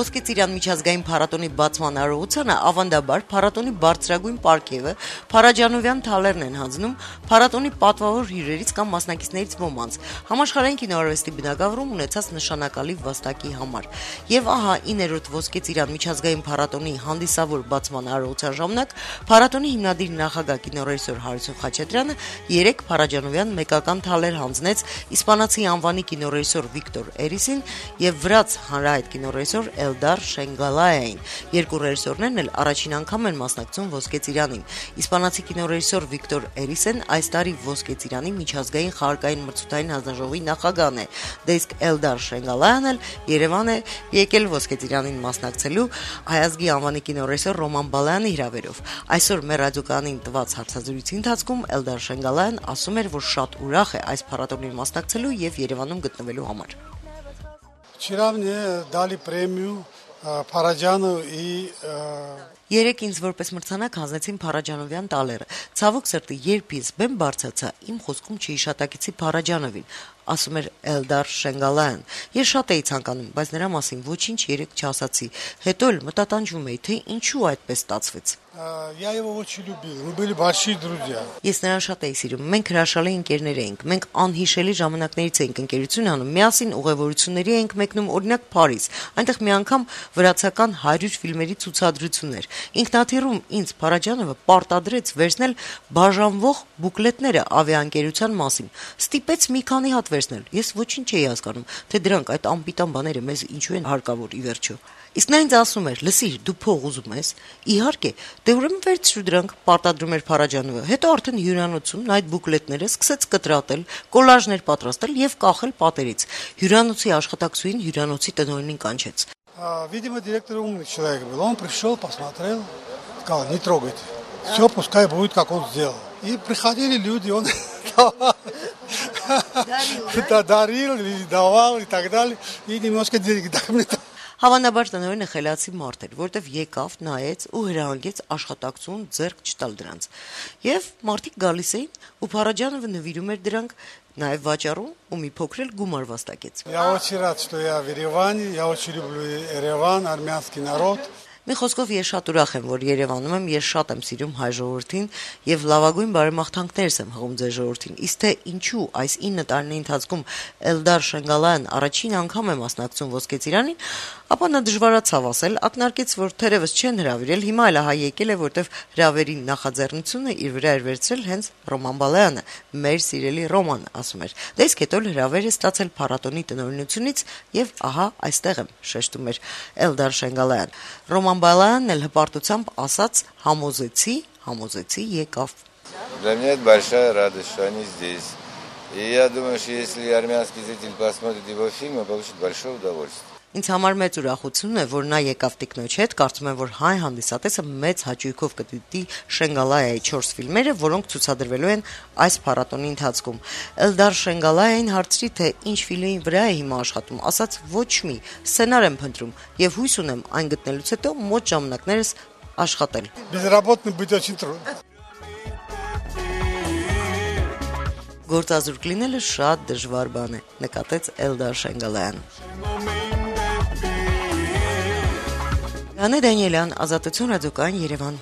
Ոսկե ծիրան միջազգային փառատոնի բացման արարողությանը ավանդաբար փառատոնի բարձրագույն պարգևը Փարաջանովյան թալերն են հանձնում փառատոնի պատվավոր հյուրերից կամ մասնակիցներից ոմանց համաշխարհային կինոարվեստի բնագավառում ունեցած նշանակալի վաստակի համար։ Եվ ահա 9-րդ Ոսկե ծիրան միջազգային փառատոնի հանդիսավոր բացման արարողության ժամանակ փառատոնի հիմնադիր նախագահ կինոռեժիսոր Հարություն Խաչատրյանը 3 Փարաջանովյան մեկական թալեր հանձնեց իսպանացի անվանի կինոռեժիսոր Վիկտոր Էրիսին եւ վրաց հանրահայտ կինոռեժիսոր Էլդար Շենգալայային։ Երկու ռեժիսորներն էլ առաջին անգամ են մասնակցում Ոսկե ծիրանին։ Իսպանացի կինոռեժիսոր Վիկտոր Էրիսեն այս տարի Ոսկե ծիրանի միջազգային խաղարկային մրցույթային հանձնաժողովի նախագահն է, իսկ Էլդար Շենգալայան էլ Երևան է եկել Ոսկե ծիրանին մասնակցելու հայազգի անվանի կինոռեժիսոր Ռոման Բալայանի հրավերով։ Այսօր մեր ռադիոկայանին տված հարցազրույցի ընթացքում Էլդար Շենգալայան ասում էր, որ շատ ուրախ է այս փառատոնին մասնակցելու եւ Երևանում գտնվելու համար։ Вчера мне дали премию Параджанов и... Երեք ինձ որպես մրցանակ հանձնեցին Փարաջանովյան տալերը։ Ցավոք սրտի, երբ ինձ բեմ բարձացա, իմ խոսքում չհիշատակեցի Փարաջանովին, ասում էր Էլդար Շենգալայան։ Ես շատ էի ցանկանում, բայց նրա մասին ոչինչ երեք չասացի։ Հետո էլ մտատանջում էի, թե ինչու այդպես ստացվեց։ Я его очень любил. Мы были большие друзья. Ես նրան շատ էի սիրում։ Մենք հրաշալի ընկերներ էինք։ Մենք անհիշելի ժամանակներից էինք ընկերություն անում, միասին ուղևորությունների էինք մեկնում, օրինակ Փարիզ։ Այնտեղ մի անգամ վրացական 100 ֆիլմերի ցուցադրություն էր։ Ինքնաթիռում ինձ Փարաջանովը պարտադրեց վերցնել բաժանվող բուկլետները ավիաընկերության մասին։ Ստիպեց մի քանի հատ վերցնել։ Ես ոչինչ չէի հասկանում, թե դրանք այդ անպիտան բաները մեզ ինչու են հարկավոր ի վերջո։ Իսկ նա ինձ ասում էր. «Լսիր, դու փող ուզում ես»։ Իհարկե, դե ուրեմն վերցրու դրանք, պարտադրում էր Փարաջանովը։ Հետո արդեն հյուրանոցում նա այդ բուկլետները սկսեց կտրատել, կոլաժներ պատրաստել եւ կախել պատերից։ Հյուրանոցի աշխատակցուհին հյուրանոցի տնօրենին կանչեց։ Видимо, директор умный человек был. Он пришел, посмотрел, сказал: не трогайте. Все пускай будет, как он сделал. И приходили люди, он дарил, давал и так далее. И немножко денег дали. Հավանաբար տնօրենը խելացի մարդ էր, որտեվ եկավ, նայեց ու հրահանգեց աշխատակցուն ձեռք չտալ դրանց։ Եվ մարդիկ գալիս էին, ու Փարաջանովը նվիրում էր դրանք, նաև վաճառում ու մի փոքր էլ գումար վաստակեց։ Я очень рад, что я в Ереване. Я очень люблю Ереван, армянский народ. Մի խոսքով ես շատ ուրախ եմ, որ Երևանում եմ, ես շատ եմ սիրում հայ ժողովրդին եւ լավագույն բարեմաղթանքներս եմ հղում ձեր ժողովրդին։ Իսկ թե ինչու այս 9 տարիների ընթացքում Էլդար Շենգալայան առաջին անգամ է մասնակցում Ոսկե ծիրանին, ապա նա դժվարացավ ասել, ակնարկեց, որ թերևս չեն հրավիրել, հիմա էլ ահա եկել է, որտեվ հրավերի նախաձեռնությունը իր վրա էր վերցրել հենց Ռոման Բալայանը, մեր սիրելի Ռոման, ասում էր։ Դե իսկ հետո հրավեր է ստացել փառատոնի տնօրինությունից եւ ահա այստեղ եմ, շեշտում էր Էլդար Շենգալայան։ Ռոման Բալայանն էլ հպարտությամբ ասաց համոզեցի եկավ։ Для меня это большая радость, что они здесь. И я думаю, что если армянский зритель посмотрит его фильм, он получит большое удовольствие. Ինձ համար մեծ ուրախություն է, որ նա եկավ տիկնոջ հետ, կարծում եմ, որ հայ հանդիսատեսը մեծ հաճույքով կդիտի Շենգալայայի 4 ֆիլմերը, որոնք ցուցադրվելու են այս փառատոնի ընթացքում։ Էլդար Շենգալայային հարցրի, թե ինչ ֆիլմի վրա է հիմա աշխատում, ասաց ոչ մի, սցենար եմ փնտրում եւ հույս ունեմ այն գտնելուց հետո մոտ ժամանակներս աշխատել։ Безработным быть очень трудно. Գործազուրկ լինելը շատ դժվար բան է, նկատեց Էլդար Շենգալայանը։ Անե Դանիելյան, Ազատություն ռադիոկայան, Երևան։